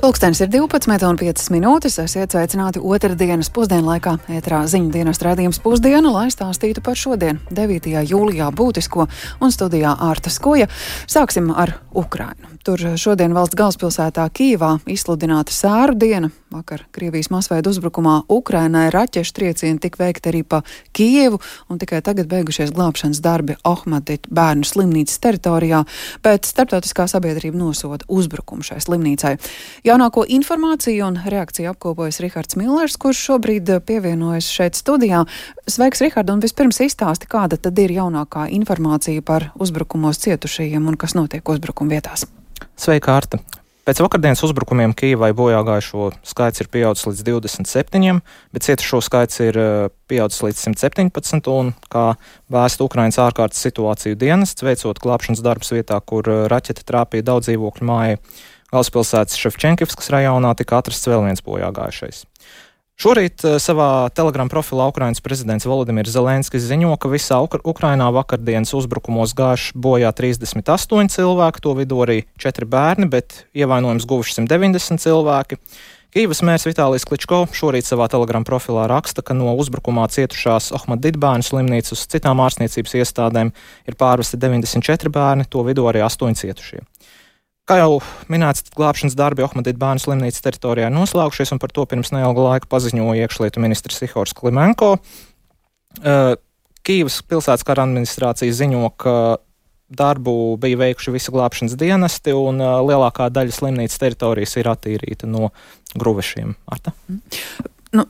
Pulkstenis ir 12,05 minūtes. Esiet sveicināti otrdienas pusdienlaikā. Ēterā ziņu dienas raidījums Pusdiena, lai stāstītu par šodien, 9. jūlijā būtisko, un studijā Ārta Skoja. Sāksim ar Ukrainu. Tur šodien valsts galvaspilsētā Kijevā izsludināta sēru diena. Vakar Krievijas masveida uzbrukumā Ukrainai raķešu triecieni tika veikti arī pa Kijevu, un tikai tagad beigušies glābšanas darbi Ohmadit bērnu slimnīcas teritorijā, bet starptautiskā sabiedrība nosoda uzbrukumu šai slimnīcai. Jaunāko informāciju un reakciju apkopojas Rihards Millers, kurš šobrīd pievienojas šeit studijā. Sveiks, Rihard, un vispirms izstāsti, kāda tad ir jaunākā informācija par uzbrukumos cietušajiem un kas notiek uzbrukuma vietās. Sveika, Arta! Pēc vakardienas uzbrukumiem Kijevai bojāgājušo skaits ir pieaudzis līdz 27, bet cietušo skaits ir pieaudzis līdz 117, un, kā vēsta Ukrainas ārkārtas situāciju dienests, veicot glābšanas darbus vietā, kur raķete trāpīja daudz dzīvokļu mājai, galvaspilsētas Ševčenkivskas rajonā tika atrasts vēl viens bojāgājušais. Šorīt savā Telegram profilā Ukrainas prezidents Volodimirs Zelenskis ziņo, ka visā Ukrainā vakardienas uzbrukumos gājuši bojā 38 cilvēki, to vidū arī 4 bērni, bet ievainojums guvuši 190 cilvēki. Kijevas mērs Vitālijs Kličko šorīt savā Telegram profilā raksta, ka no uzbrukumā cietušās Ohmadit bērnu slimnīcas uz citām ārstniecības iestādēm ir pārvesti 94 bērni, to vidū arī 8 cietušie. Kā jau minēts, glābšanas darbi Ohmadit bērnu slimnīcas teritorijā ir noslēgušies, un par to pirms neilga laika paziņoja iekšlietu ministrs Ihors Klimenko. Kijevas pilsētas kara administrācija ziņo, ka darbu bija veikuši visi glābšanas dienesti, un lielākā daļa slimnīcas teritorijas ir attīrīta no gruvešiem. Arta?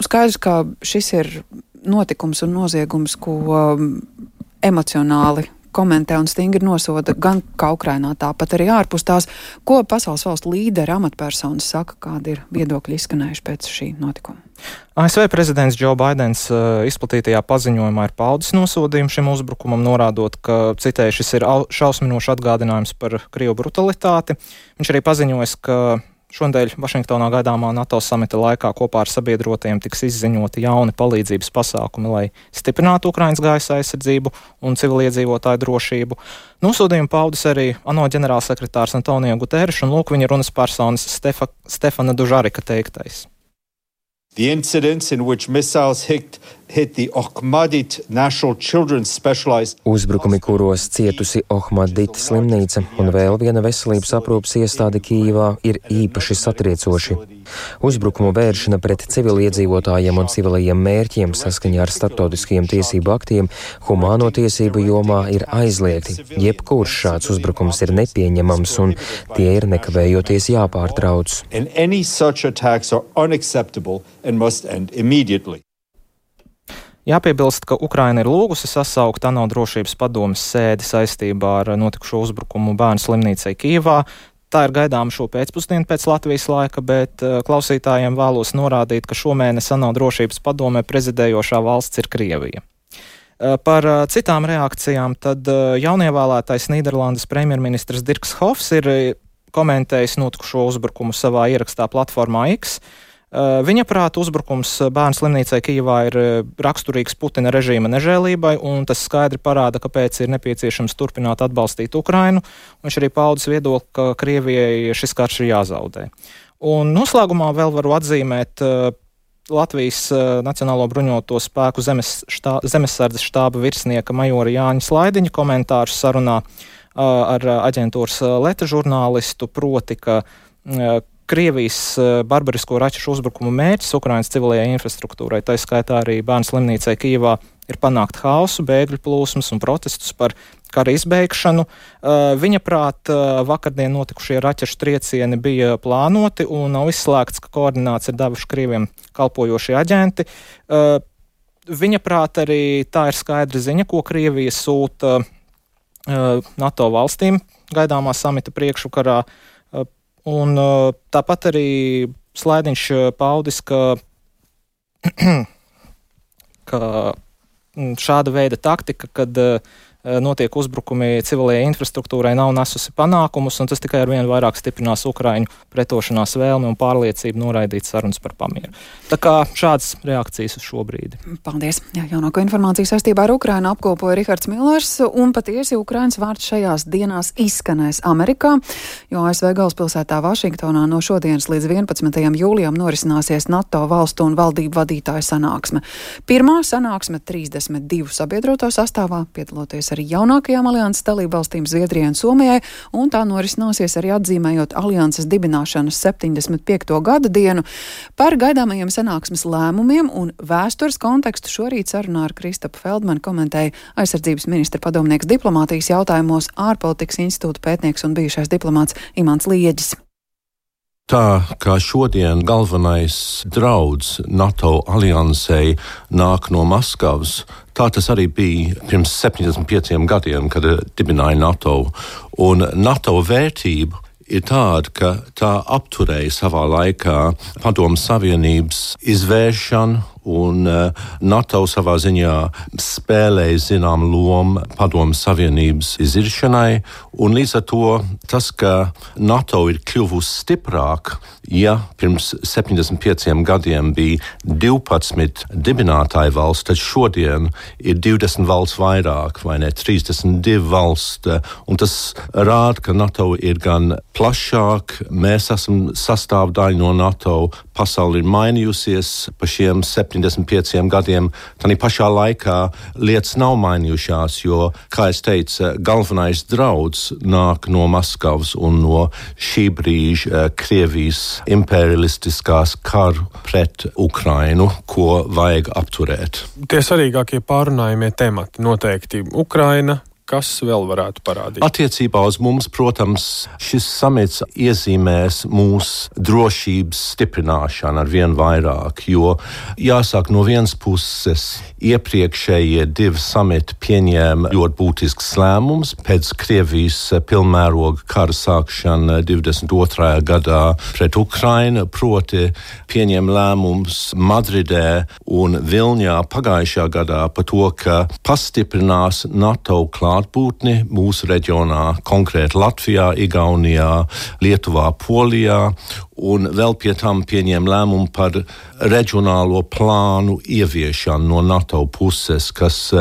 Skaidrs, ka šis ir notikums un noziegums, ko emocionāli komentē un stingri nosoda gan kā Ukrainā, tāpat arī ārpus tās. Ko pasaules valstu līderi, amatpersonas saka, kādi ir viedokļi izskanējuši pēc šī notikuma? ASV prezidents Joe Baidens izplatītajā paziņojumā ir paudis nosodījumu šim uzbrukumam, norādot, ka, citēju, šis ir šausminošs atgādinājums par Krievu brutalitāti. Viņš arī paziņojas, ka šonadēļ Vašingtonā gaidāmā NATO samita laikā kopā ar sabiedrotajiem tiks izziņoti jauni palīdzības pasākumi, lai stiprinātu Ukrainas gaisa aizsardzību un civiliedzīvotāju drošību. Nosodījumu paudis arī ANO ģenerālsekretārs Antonio Guterres, un lūk viņa runas personas Stefana Dužarika teiktais. The incidents in which missiles hit the Ohmadit National Children's Specialized Uzbrukumi, kuros cietusi Ohmadit slimnīca un vēl viena veselības aprūpes iestāde Kijevā, ir īpaši satriecoši. Uzbrukumu vēršana pret civiliedzīvotājiem un civilajiem mērķiem saskaņā ar starptautiskajiem tiesību aktiem humāno tiesību jomā ir aizliegti. Jebkurš šāds uzbrukums ir nepieņemams un tie ir nekavējoties jāpārtrauc. And any such attacks are unacceptable and must end immediately. Jāpiebilst, ka Ukraina ir lūgusi sasaukt ANO drošības padomes sēdi saistībā ar notikušo uzbrukumu bērnu slimnīcai Kijevā. Tā ir gaidāma šo pēcpusdienu pēc Latvijas laika, bet klausītājiem vēlos norādīt, ka šomēnes ANO drošības padomē prezidējošā valsts ir Krievija. Par citām reakcijām tad jaunievēlētais Nīderlandes premjerministrs Dirks Hofs ir komentējis notikušo uzbrukumu savā ierakstā platformā X. Viņa prāta uzbrukums bērnu slimnīcai Kijevā ir raksturīgs Putina režīma nežēlībai, un tas skaidri parāda, kāpēc ir nepieciešams turpināt atbalstīt Ukrainu. Viņš arī paudis viedokli, ka Krievijai šis karš ir jāzaudē. Un noslēgumā vēl varu atzīmēt Latvijas Nacionālo bruņoto spēku zemesardzes štāba virsnieka majora Jāņa Slaidiņa komentārus sarunā ar aģentūras Leta žurnālistu, proti, ka Krievijas barbarisko raķešu uzbrukumu mērķis Ukrainas civilajai infrastruktūrai, tā skaitā arī bērnu slimnīcai Kijevā, ir panākt haosu, bēgļu plūsmas un protestus par kara izbeigšanu. Viņa prāt vakardien notikušie raķešu triecieni bija plānoti un nav izslēgts, ka koordināts ir devuši Krieviem kalpojošie aģenti. Viņa prāt arī tā ir skaidra ziņa, ko Krievija sūta NATO valstīm gaidāmā samita priekšvakarā. Un tāpat arī Slaidiņš paudis, ka šāda veida taktika, kad notiek uzbrukumi civilajai infrastruktūrai, nav nesusi panākumus, un tas tikai ar vien vairāk stiprinās Ukraiņu pretošanās vēlmi un pārliecību noraidīt sarunas par pamieru. Tā kā šādas reakcijas uz šo brīdi. Paldies. Jā, jaunāko informāciju saistībā ar Ukrainu apkopoja Rihards Millers, un patiesi Ukrainas vārds šajās dienās izskanēs Amerikā, jo ASV galvaspilsētā Vašingtonā no šodienas līdz 11. jūlijam norisināsies NATO valstu un valdību vadītāju sanāksme. Pirmā sanāksme 32 sabiedroto sastāvā, piedaloties arī jaunākajām alianses dalībvalstīm Zviedrijai un Somijai, un tā norisināsies arī atzīmējot alianses dibināšanas 75. gada dienu. Par gaidāmajiem sanāksmes lēmumiem un vēstures kontekstu šorīt sarunā ar Kristapu Feldmanu komentēja aizsardzības ministra padomnieks diplomātijas jautājumos ārpolitikas institūta pētnieks un bijušais diplomāts Imants Lieģis. Tā kā šodien galvenais drauds NATO aliansei nāk no Maskavas, tā tas arī bija pirms 75 gadiem, kad dibināja NATO. Un NATO vērtība ir tāda, ka tā apturēja savā laikā Padomu Savienības izvēršanu, un NATO savā ziņā spēlēja zinām lomu Padomu Savienības iziršanai, un līdz ar to tas, ka NATO ir kļuvusi stiprāk, ja pirms 75 gadiem bija 12 dibinātāju valsts, tad šodien ir 20 valsts vairāk, vai ne, 32 valsts, un tas rāda, ka NATO ir gan plašāk, mēs esam sastāvdaļa no NATO, pasauli ir mainījusies pa šiem 75 gadiem, tā pašā laikā lietas nav mainījušās, jo, kā es teicu, galvenais drauds nāk no Maskavas un no šī brīža Krievijas imperialistiskās karu pret Ukrainu, ko vajag apturēt. Tie svarīgākie pārunājumie temati noteikti Ukraina. Kas vēl varētu parādīt? Attiecībā uz mums, protams, šis samits iezīmēs mūsu drošības stiprināšanu ar vien vairāk, jo jāsaka, no vienas puses iepriekšējie 2 samiti pieņēma ļoti būtisks lēmums pēc Krievijas pilnmēroga kara sākšana 22. gadā pret Ukrainu, proti pieņēma lēmums Madridē un Vilņā pagājušā gadā par to, ka pastiprinās NATO klātbūtni mūsu reģionā, konkrēti Latvijā, Igaunijā, Lietuvā, Polijā, un vēl pie tam pieņēma lēmumu par reģionālo plānu ieviešanu no NATO puses, kas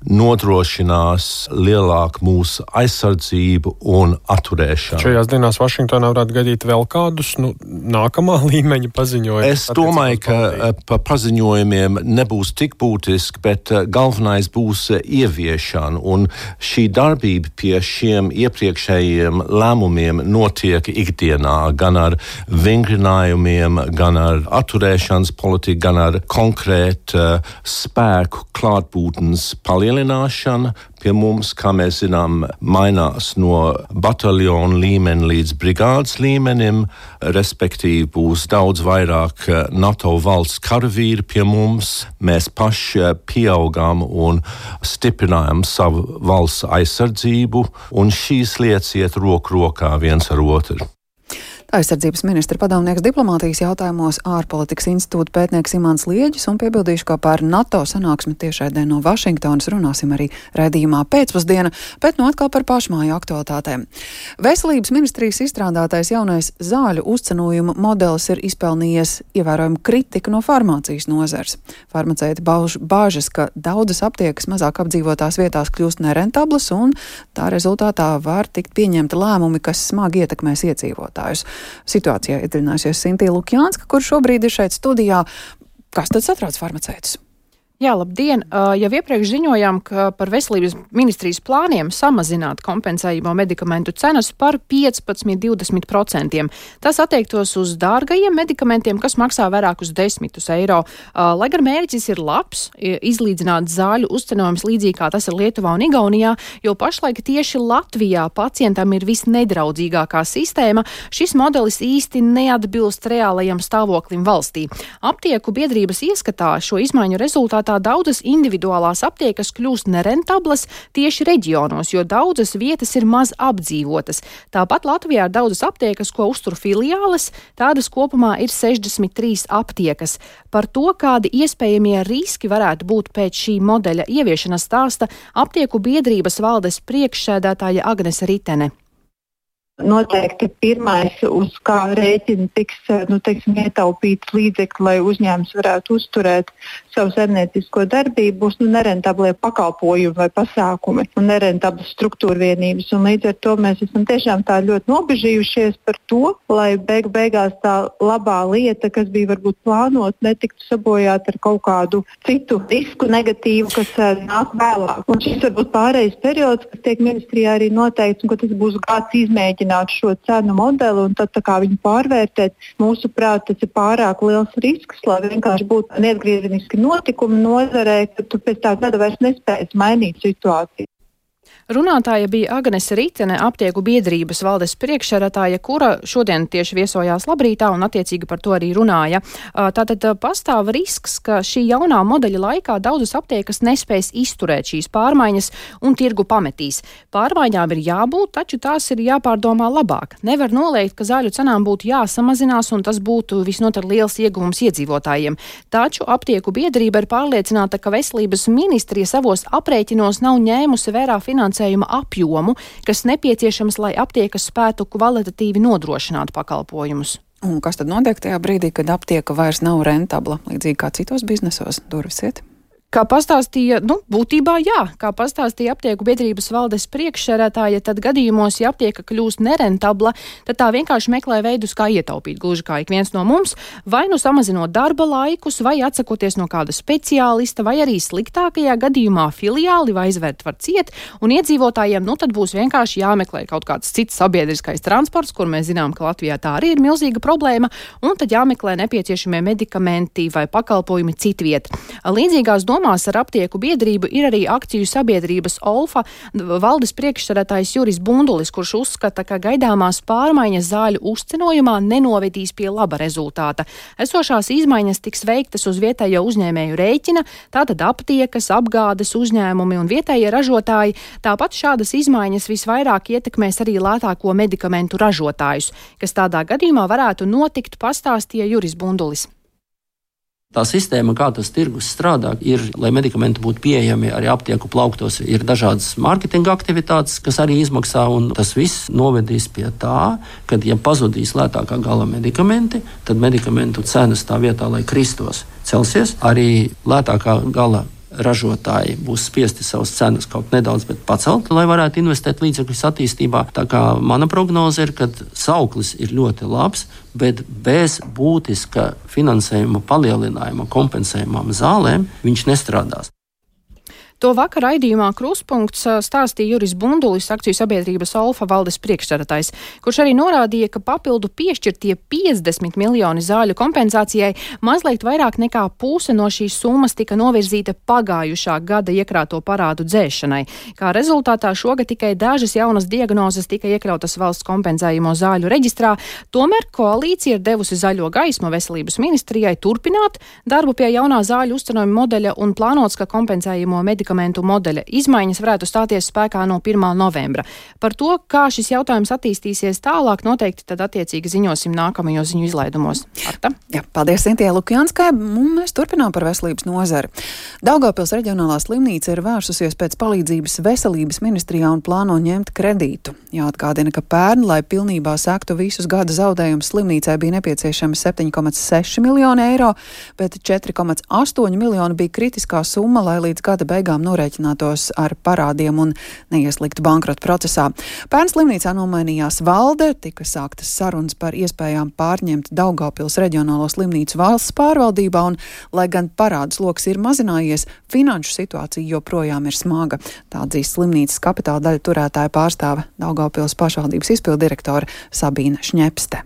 nodrošinās lielāku mūsu aizsardzību un atturēšanu. Šajās dienās Vašingtonā varētu gaidīt vēl kādus nākamā līmeņa paziņojumus? Es domāju, ka pa paziņojumiem nebūs tik būtiski, bet galvenais būs ieviešana, un šī darbība pie šiem iepriekšējiem lēmumiem notiek ikdienā, gan ar vingrinājumiem, gan ar atturēšanas politiku, gan ar konkrētu spēku klātbūtnes palielināšanu. Pie mums, kā mēs zinām, mainās no bataljona līmeņa līdz brigādes līmenim, respektīvi būs daudz vairāk NATO valsts karavīri pie mums. Mēs paši pieaugām un stiprinājām savu valsts aizsardzību, un šīs lietas iet roku rokā viens ar otru. Aizsardzības ministra padomnieks diplomātijas jautājumos ārpolitikas institūta pētnieks Imants Lieģis, un piebildīšu, ka par NATO sanāksmi tiešraidē no Vašingtonas runāsim arī raidījumā pēcpusdiena, bet atkal par pašmāju aktualitātēm. Veselības ministrijas izstrādātais jaunais zāļu uzcenojuma modelis ir izpelnījies ievērojumu kritiku no farmācijas nozars. Farmaceiti bāžas, ka daudzas aptiekas mazāk apdzīvotās vietās kļūst nerentablas, un tā rezultātā var tikt pieņemti lēmumi, kas smagi ietekmēs iedzīvotājus. Situācijā iedziļināsies Sintīna Lukjānska, kur šobrīd ir šeit studijā. Kas tad satrauc farmaceitus? Jā, labdien! Jau iepriekš ziņojām, ka par veselības ministrijas plāniem samazināt kompensējamo medikamentu cenas par 15–20%. Tas attiektos uz dārgajiem medikamentiem, kas maksā vairākus desmitus eiro. Lai gan mērķis ir labs, izlīdzināt zāļu uzcenojums līdzīgi kā tas ir Lietuvā un Igaunijā, jo pašlaik tieši Latvijā pacientam ir visnedraudzīgākā sistēma, šis modelis īsti neatbilst reālajam stāvoklim valstī. Aptieku biedrības ieskatā šo izmaiņu rezultātā rezultātā daudzas individuālās aptiekas kļūst nerentablas tieši reģionos, jo daudzas vietas ir maz apdzīvotas. Tāpat Latvijā ir daudzas aptiekas, ko uztur filiāles, tādas kopumā ir 63 aptiekas. Par to, kādi iespējamie riski varētu būt pēc šī modeļa ieviešanas, stāsta aptieku biedrības valdes priekšsēdētāja Agnese Ritene. Noteikti pirmais, uz kā rēķina tiks ietaupīts līdzekļi, lai uzņēmums varētu uzturēt savu saimniecisko darbību, būs nerentablie pakalpojumi vai pasākumi un nerentablas struktūra vienības. Un līdz ar to mēs esam tiešām tā ļoti nobežījušies par to, lai beigās tā labā lieta, kas bija varbūt plānot, netiktu sabojāt ar kaut kādu citu risku negatīvu, kas nāk vēlāk. Un šis varbūt pārējais periods, kas tiek ministrijā arī noteikts, un ka tas būs gads izmēģināt šo cenu modeli un tad viņu pārvērtēt. Mūsuprāt, tas ir pārāk liels risks, lai vienkārši būtu neatgriezeniski notikumi nozarē, ka tu pēc tā gada vairs nespēsi mainīt situāciju. Runātāja bija Agnese Ritene, aptieku biedrības valdes priekšsēdētāja, kura šodien tieši viesojās Labrītā un attiecīgi par to arī runāja. Tātad pastāv risks, ka šī jaunā modeļa laikā daudzas aptiekas nespēs izturēt šīs pārmaiņas un tirgu pametīs. Pārmaiņām ir jābūt, taču tās ir jāpārdomā labāk. Nevar noliegt, ka zāļu cenām būtu jāsamazinās un tas būtu visnotaļ liels ieguvums iedzīvotājiem. Taču aptieku biedrība ir pārliecināta, ka veselības ministrija savos aprēķinos nav ņēmusi vērā finansējuma apjomu, kas nepieciešams, lai aptiekas spētu kvalitatīvi nodrošināt pakalpojumus. Un kas tad notiek tajā brīdī, kad aptieka vairs nav rentabla, līdzīgi kā citos biznesos? Durvis iet? Kā pastāstīja, būtībā jā, kā pastāstīja aptieku biedrības valdes priekšsēdētāja, tad gadījumos, ja aptieka kļūst nerentabla, tad tā vienkārši meklē veidus, kā ietaupīt, gluži kā ik viens no mums, vai samazinot darba laikus, vai atsakoties no kāda speciālista, vai arī sliktākajā gadījumā filiāli vai aizvērt var ciet, un iedzīvotājiem, tad būs vienkārši jāmeklē kaut kāds cits sabiedriskais transports, kur mēs zinām, ka Latvijā tā arī ir milzīga problēma, un tad jāmeklē nepieciešamie medikamenti vai pakalpojumi citviet. Līdzīgās domās ar aptieku biedrību ir arī akciju sabiedrības Olfa valdes priekšsēdētājs Juris Bundulis, kurš uzskata, ka gaidāmās pārmaiņas zāļu uzcenojumā nenovedīs pie laba rezultāta. Esošās izmaiņas tiks veiktas uz vietējo uzņēmēju rēķina, tātad aptiekas, apgādes uzņēmumi un vietējie ražotāji. Tāpat šādas izmaiņas visvairāk ietekmēs arī lētāko medikamentu ražotājus, kas tādā gadījumā varētu notikt, pastāstīja Juris Bundulis. Tā sistēma, kā tas tirgus strādā, ir, lai medikamenti būtu pieejami arī aptieku plauktos, ir dažādas mārketinga aktivitātes, kas arī izmaksā, un tas viss novedīs pie tā, ka, ja pazudīs lētākā gala medikamenti, tad medikamentu cenas tā vietā, lai kristos, celsies. Arī lētākā gala ražotāji būs spiesti savas cenas kaut nedaudz pacelt, lai varētu investēt līdzekļus attīstībā. Tā kā mana prognoze ir, ka sauklis ir ļoti labs, bet bez būtiska finansējuma palielinājuma kompensējumām zālēm viņš nestrādās. To vakar raidījumā Kruspunkts stāstīja Juris Bundulis, akciju sabiedrības Olfa valdes priekšsēdētājs, kurš arī norādīja, ka papildu piešķirtie 50 miljoni zāļu kompensācijai mazliet vairāk nekā puse no šīs summas tika novirzīta pagājušā gada iekrāto parādu dzēšanai. Kā rezultātā šogad tikai dažas jaunas diagnozes tika iekļautas valsts kompensējumo zāļu reģistrā, tomēr koalīcija ir devusi zaļo gaismu veselības ministrijai turpināt darbu pie jaunā zāļu uzcenojuma modeļa un plānots, ka kompensējumo medikamentu modeļa izmaiņas varētu stāties spēkā no 1. novembra. Par to, kā šis jautājums attīstīsies tālāk, noteikti tad attiecīgi ziņosim nākamajos ziņu izlaidumos. Arta? Jā, paldies Sintijai Lukjanskai. Mēs turpinām par veselības nozari. Daugavpils reģionālā slimnīca ir vērsusies pēc palīdzības veselības ministrijā un plāno ņemt kredītu. Jāatgādina, ka pērn, lai pilnībā sektu visus gada zaudējumus, slimnīcai bija nepieciešami 7,6 miljoni eiro, bet 4,8 miljoni bija kritiskā summa, lai līdz gada beigām norēķinātos ar parādiem un neiesliktu bankrota procesā. Pērn slimnīcā nomainījās valde, tika sāktas sarunas par iespējām pārņemt Daugavpils reģionālo slimnīcu valsts pārvaldībā, un, lai gan parādu sloks ir mazinājies, finanšu situācija joprojām ir smaga. Tā atzīst slimnīcas kapitāla daļu turētāja pārstāve Daugavpils pašvaldības izpildu direktore Sabīna Šņepste.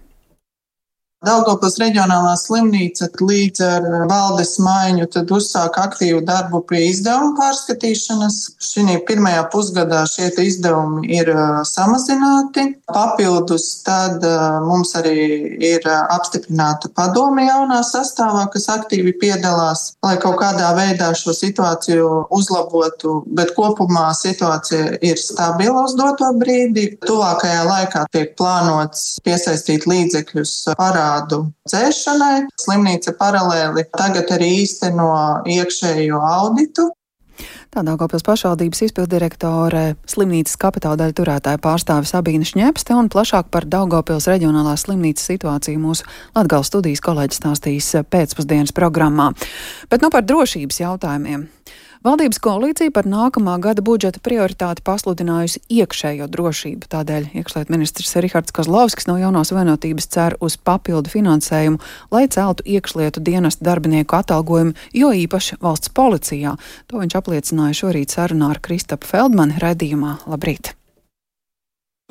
Daugavpils reģionālā slimnīca līdz ar valdes maiņu tad uzsāk aktīvu darbu pie izdevuma pārskatīšanas. Šī pirmajā pusgadā šie izdevumi ir samazināti. Papildus tad mums arī ir apstiprināta padome jaunā sastāvā, kas aktīvi piedalās, lai kaut kādā veidā šo situāciju uzlabotu, bet kopumā situācija ir stabila uz doto brīdi. Tuvākajā laikā tiek plānots piesaistīt līdzekļus parādu dzēšanai. Slimnīca paralēli tagad arī īsteno iekšējo auditu. Tā Daugavpils pašvaldības izpilddirektore, slimnīcas kapitāldaļu turētāja pārstāve Sabīne Šņepste un plašāk par Daugavpils reģionālās slimnīcas situāciju mūsu Latgales studijas kolēģis stāstīs pēcpusdienas programmā. Bet par drošības jautājumiem. Valdības koalīcija par nākamā gada budžeta prioritāti pasludinājusi iekšējo drošību. Tādēļ iekšlietu ministrs Rihards Kozlovskis no Jaunās vienotības cer uz papildu finansējumu, lai celtu iekšlietu dienestu darbinieku atalgojumu, jo īpaši valsts policijā. To viņš apliecināja šorīt sarunā ar Kristapu Feldmani raidījumā. Labrīt!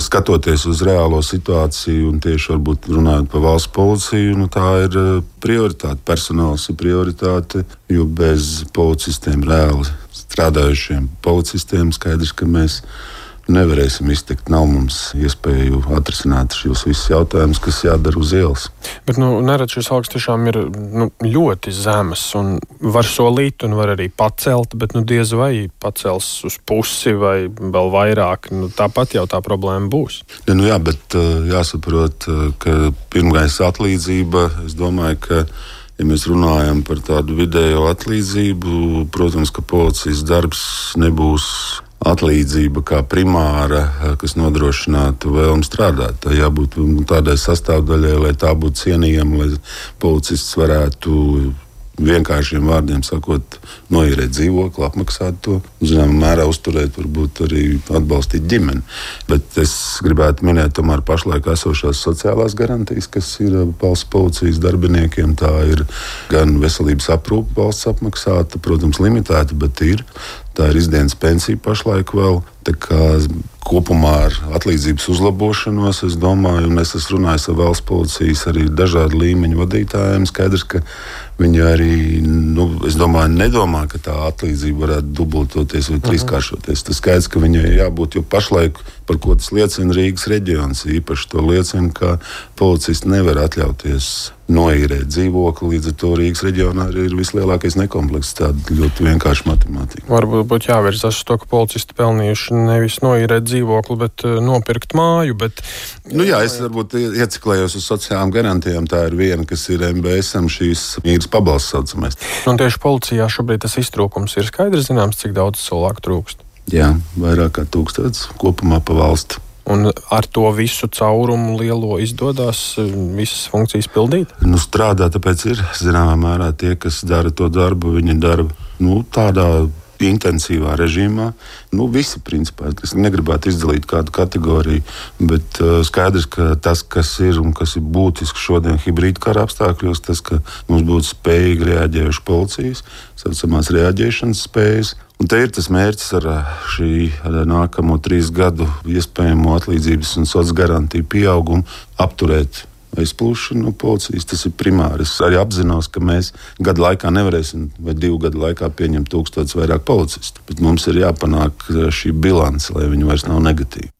Skatoties uz reālo situāciju un tieši varbūt runājot par valsts policiju, tā ir prioritāte. Personāls ir prioritāte, jo bez policistiem, reāli strādājušiem policistiem, skaidrs, ka mēs nevarēsim iztikt. Nav mums iespēju atrisināt šos visus jautājumus, kas jādara uz ielas. Bet nerad šis algas tiešām ir ļoti zemas un var solīt un var arī pacelt, bet diez vai pacels uz pusi vai vēl vairāk. Tāpat jau tā problēma būs. Jā, bet jāsaprot, ka pirmais atlīdzība, es domāju, ka ja mēs runājam par tādu vidējo atlīdzību, protams, ka policijas darbs nebūs atlīdzība kā primāra, kas nodrošinātu vēlmu strādāt. Tā jābūt tādai sastāvdaļai, lai tā būtu cienījama, lai policists varētu vienkāršiem vārdiem sakot, noīrēt dzīvokli, apmaksāt to, zināmā mērā uzturēt, varbūt arī atbalstīt ģimeni. Bet es gribētu minēt tomēr pašlaik esošās sociālās garantijas, kas ir valsts policijas darbiniekiem. Tā ir gan veselības aprūpe valsts apmaksāta, protams, limitēta, bet ir. Tā ir izdienas pensija pašlaik vēl. Tā kā kopumā ar atlīdzības uzlabošanos, es domāju, un es esmu runājis ar valsts policijas arī dažādu līmeņu vadītājiem, skaidrs, ka viņi arī, es domāju, nedomā, ka tā atlīdzība varētu dubultoties vai trīskāršoties. Tas skaidrs, ka viņai jābūt, jo pašlaik, par ko tas liecina Rīgas reģions, īpaši to liecina, ka policisti nevar atļauties noīrēt dzīvokli, līdz ar to Rīgas reģionā arī ir vislielākais nekomplekts, tāda ļoti vienkārša matemātika. Varbūt būtu jāvirzās uz to, ka policisti pelnījuši nevis noīrēt dzīvokli, bet nopirkt māju, bet... Jā, es varbūt ieciklējos uz sociālām garantijām, tā ir viena, kas ir MBS-am šīs īres pabalsts saucamais. Un tieši policijā šobrīd tas iztrūkums ir skaidrs zināms, cik daudz cilvēku trūkst? Jā, vairāk kā 1000 kopumā pa valsti. Un ar to visu caurumu lielo izdodas visas funkcijas pildīt? Strādā, tāpēc ir zināmā mērā tie, kas dara to darbu, viņi dara tādā intensīvā režīmā. Visi principā. Es negribētu izdalīt kādu kategoriju, bet skaidrs, ka tas, kas ir un kas ir būtiski šodien hibrīda kara apstākļos, tas, ka mums būtu spējīgi reaģējuši policijas, saucamās reaģēšanas spējas. Un te ir tas mērķis ar šī nākamo 3 gadu iespējamo atlīdzības un sociālās garantiju pieaugumu apturēt aizplūšanu no policijas. Tas ir primāri. Es arī apzinos, ka mēs gadu laikā nevarēsim vai 2 gadu laikā pieņemt 1000 vairāk policistu. Bet mums ir jāpanāk šī bilance, lai viņi vairs nav negatīvi.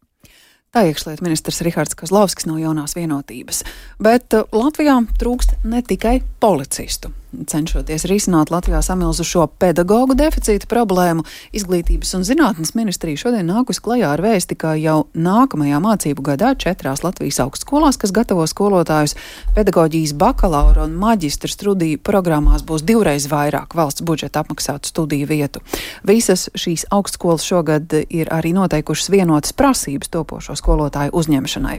Tā iekšlietu ministrs Rihards Kozlovskis no Jaunās vienotības. Bet Latvijā trūkst ne tikai policistu. Cenšoties risināt Latvijā samilzušo pedagoģu deficīta problēmu, Izglītības un zinātnes ministrija šodien nākus klajā ar vēsti, ka jau nākamajā mācību gadā 4 Latvijas augstskolās, kas gatavo skolotājus pedagoģijas bakalaura un maģistra studiju programmās, būs 2 vairāk valsts budžeta apmaksātu studiju vietu. Visas šīs augstskolas šogad ir arī noteikušas vienotas prasības topošo skolotāju uzņemšanai.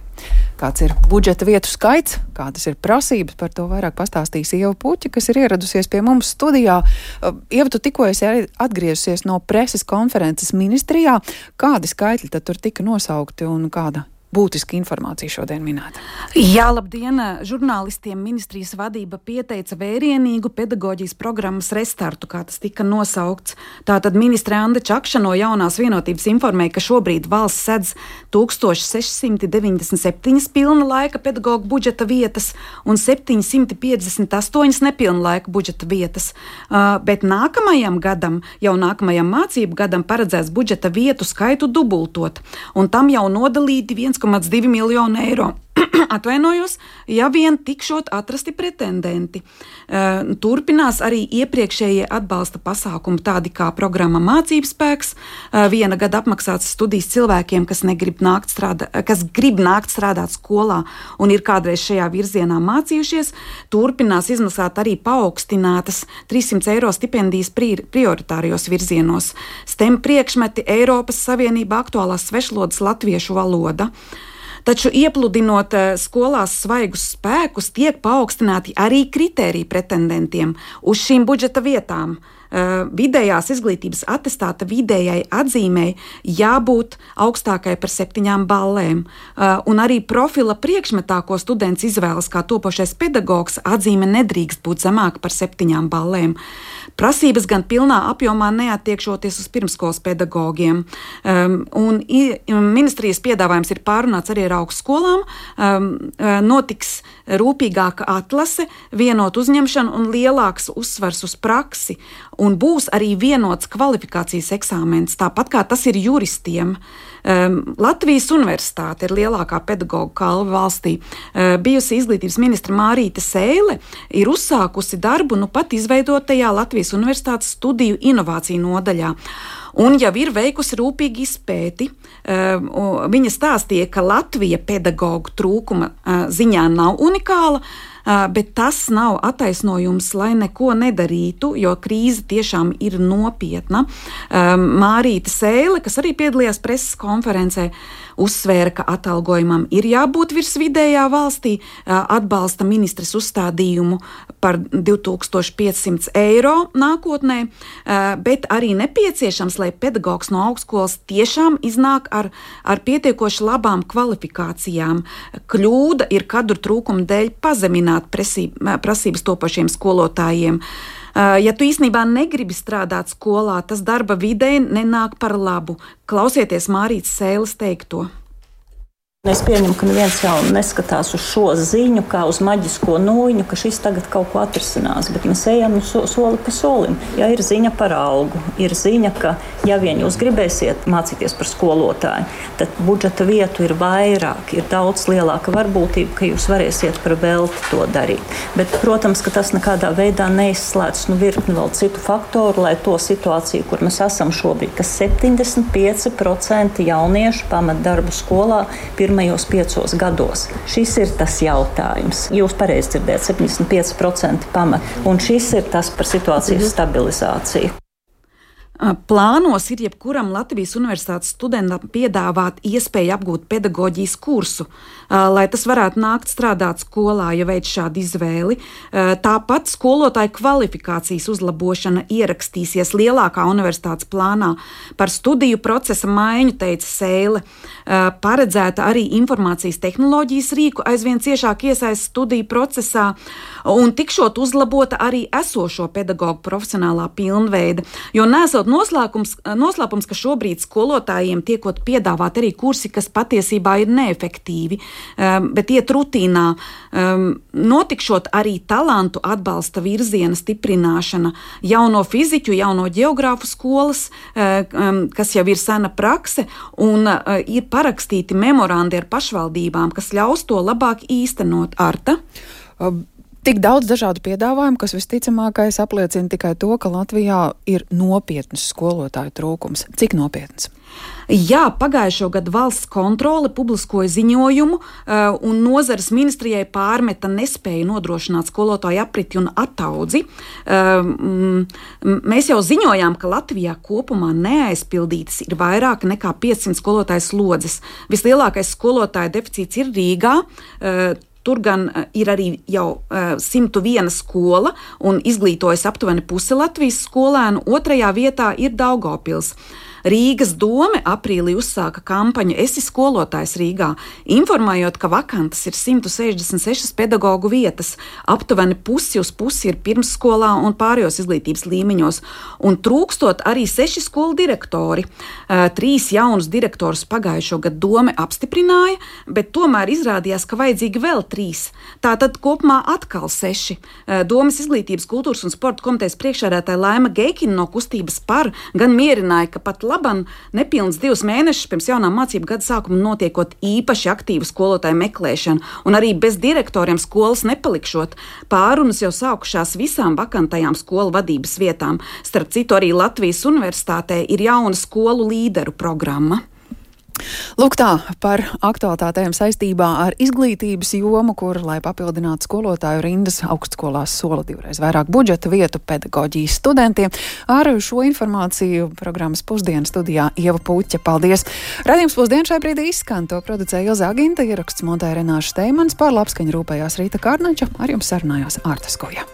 Kāds ir budžeta vietu skaits, kādas ir prasības, par to vairāk pastāstīs Ieva Puķa, kas ir ieradusies pie mums studijā. Ieva, tu tikko esi atgriezusies no preses konferences ministrijā. Kādi skaitļi tad tur tika nosaukti un kāda būtiska informācija šodien minēta. Jā, labdien! Žurnālistiem ministrijas vadība pieteica vērienīgu pedagoģijas programmas restartu, kā tas tika nosaukts. Tātad ministre Anda Čakša no Jaunās vienotības informēja, ka šobrīd valsts sedz 1697 pilna laika pedagoģu budžeta vietas un 758 nepilna laika budžeta vietas. Bet nākamajam gadam, jau nākamajam mācību gadam paredzēts budžeta vietu skaitu dubultot, un tam jau nodalīti 1,2 miljonu eiro. Atvainojos, ja vien tikšot atrasti pretendenti. Turpinās arī iepriekšējie atbalsta pasākumi, tādi kā programma Mācību spēks, 1 gada apmaksāts studijas cilvēkiem, kas grib nākt strādāt skolā un ir kādreiz šajā virzienā mācījušies. Turpinās izmaksāt arī paaugstinātas 300 eiro stipendijas prioritārijos virzienos. STEM priekšmeti, Eiropas Savienība aktuālās svešvalodas latviešu valoda. Taču iepludinot skolās svaigus spēkus, tiek paaugstināti arī kritēriji pretendentiem uz šīm budžeta vietām. Vidējās izglītības atestāta vidējai atzīmei jābūt augstākai par 7 ballēm, un arī profila priekšmetā, ko students izvēlas kā topošais pedagogs, atzīme nedrīkst būt zemāka par 7 ballēm. Prasības gan pilnā apjomā neattiekšoties uz pirmskolas pedagogiem, un ministrijas piedāvājums ir pārunāts arī ar augstskolām, notiks rūpīgāka atlase, vienot uzņemšanu un lielāks uzsvars uz praksi, un būs arī vienots kvalifikācijas eksāmens, tāpat kā tas ir juristiem. Latvijas universitāte ir lielākā pedagoģu kalve valstī. Bijusi izglītības ministra Mārīte Sēle ir uzsākusi darbu pat izveidotajā Latvijas universitātes studiju inovāciju nodaļā. Un jau ir veikusi rūpīgi izpēti. Viņa stāstīja, ka Latvija pedagoģu trūkuma ziņā nav unikāla, bet tas nav attaisnojums, lai neko nedarītu, jo krīze tiešām ir nopietna. Mārīte Sēle, kas arī piedalījās preses konferencē, uzsvēra, ka atalgojumam ir jābūt virs vidējā valstī, atbalsta ministres uzstādījumu par 2500 eiro nākotnē, bet arī nepieciešams, lai pedagogs no augstskolas tiešām iznāk ar pietiekoši labām kvalifikācijām. Kļūda ir kadru trūkuma dēļ pazemināt prasības topošiem skolotājiem. Ja tu īstenībā negribi strādāt skolā, tas darba videi nenāk par labu. Klausieties Mārītes Sēles teikto. Es pieņemu, ka neviens jau neskatās uz šo ziņu, kā uz maģisko nūjiņu, ka šis tagad kaut ko atrisinās, bet mēs ejam soli pa solim. Ja ir ziņa par algu, ir ziņa, ka ja vien jūs gribēsiet mācīties par skolotāju, tad budžeta vietu ir vairāk, ir daudz lielāka varbūtība, ka jūs varēsiet par velti to darīt. Bet, protams, ka tas nekādā veidā neizslēdz virkni vēl citu faktoru, lai to situāciju, kur mēs esam šobrīd, ka 75% jauniešu pamat darbu skolā pirmajos 5 gados. Šis ir tas jautājums. Jūs pareizi dzirdēt, 75% pamat. Un šis ir tas par situācijas stabilizāciju. Plānos ir jebkuram Latvijas universitātes studentam piedāvāt iespēju apgūt pedagoģijas kursu, lai tas varētu nākt strādāt skolā, ja veic šādu izvēli. Tāpat skolotāju kvalifikācijas uzlabošana ierakstīsies lielākā universitātes plānā. Par studiju procesa maiņu, teica Sēle, paredzēta arī informācijas tehnoloģijas rīku aizvien ciešāk iesaist studiju procesā, un tikšot uzlabota arī esošo pedagoģu profesionālā pilnveida, jo nesot noslēpums, ka šobrīd skolotājiem tiekot piedāvāt arī kursi, kas patiesībā ir neefektīvi, bet iet rutīnā. Notikšot arī talantu atbalsta virziena stiprināšana, jauno fiziķu, jauno ģeogrāfu skolas, kas jau ir sena prakse, un ir parakstīti memorandi ar pašvaldībām, kas ļaus to labāk īstenot. Arta? Tik daudz dažādu piedāvājumu, kas visticamākais apliecina tikai to, ka Latvijā ir nopietns skolotāju trūkums. Cik nopietns? Jā, pagājušo gadu valsts kontrole publiskoja ziņojumu, un nozares ministrijai pārmeta nespēju nodrošināt skolotāju apriti un ataudzi. Mēs jau ziņojām, ka Latvijā kopumā neaizpildītas ir vairāk nekā 500 skolotāju slodzes. Vislielākais skolotāju deficīts ir Rīgā. Tur gan ir arī jau 101 skola un izglītojas aptuveni pusi Latvijas skolēnu, 2. vietā ir Daugavpils. Rīgas dome aprīlī uzsāka kampaņu Esi skolotājs Rīgā, informējot, ka vakantas ir 166 pedagogu vietas, aptuveni pusi uz pusi ir pirmsskolā un pārējos izglītības līmeņos, un trūkstot arī 6 skolu direktori. 3 jaunus direktorus pagājušo gadu dome apstiprināja, bet tomēr izrādījās, ka vajadzīgi vēl 3. Tātad kopumā atkal 6. Domes izglītības, kultūras un sporta komitejas priekšsēdētāja Laima Geikina no kustības par gan mierināja, ka pat laban nepilns 2 mēnešus pirms jaunā mācību gada sākuma notiekot īpaši aktīvu skolotāju meklēšanu un arī bez direktoriem skolas nepalikšot. Pārunas jau sākušās visām vakantajām skolu vadības vietām. Starp citu, arī Latvijas Universitātē ir jauna skolu līderu programma. Lūk tā par aktualitātēm saistībā ar izglītības jomu, kur, lai papildinātu skolotāju rindas, augstskolās sola 2 reiz vairāk budžeta vietu pedagoģijas studentiem. Ar šo informāciju programmas Pusdienas studijā Ieva Puķa. Paldies! Raidījums Pusdien šai brīdī izskan. To producēja Ilze Aginta, ieraksts montēja Renāša Steimans, par labskaņu rūpējās Rīta Kārnača, ar jums sarunājās Ārta Skoja.